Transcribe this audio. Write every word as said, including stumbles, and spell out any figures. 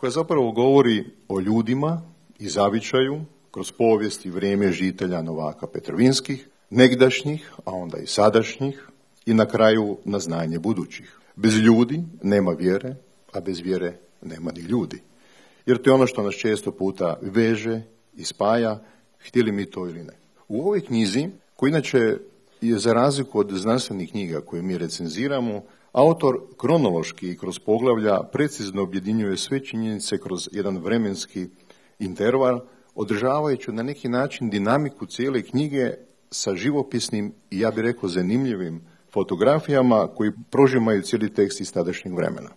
koja zapravo govori o ljudima i zavičaju kroz povijest i vrijeme žitelja Novaka Petrovinskih, negdašnjih, a onda i sadašnjih, i na kraju na znanje budućih. Bez ljudi nema vjere, a bez vjere nema ni ljudi. Jer to je ono što nas često puta veže i spaja, htjeli mi to ili ne. U ovoj knjizi, koja inače je za razliku od znanstvenih knjiga koje mi recenziramo, autor kronološki i kroz poglavlja precizno objedinjuje sve činjenice kroz jedan vremenski interval, održavajući na neki način dinamiku cijele knjige sa živopisnim i, ja bih rekao, zanimljivim fotografijama koji prožimaju cijeli tekst iz tadašnjeg vremena.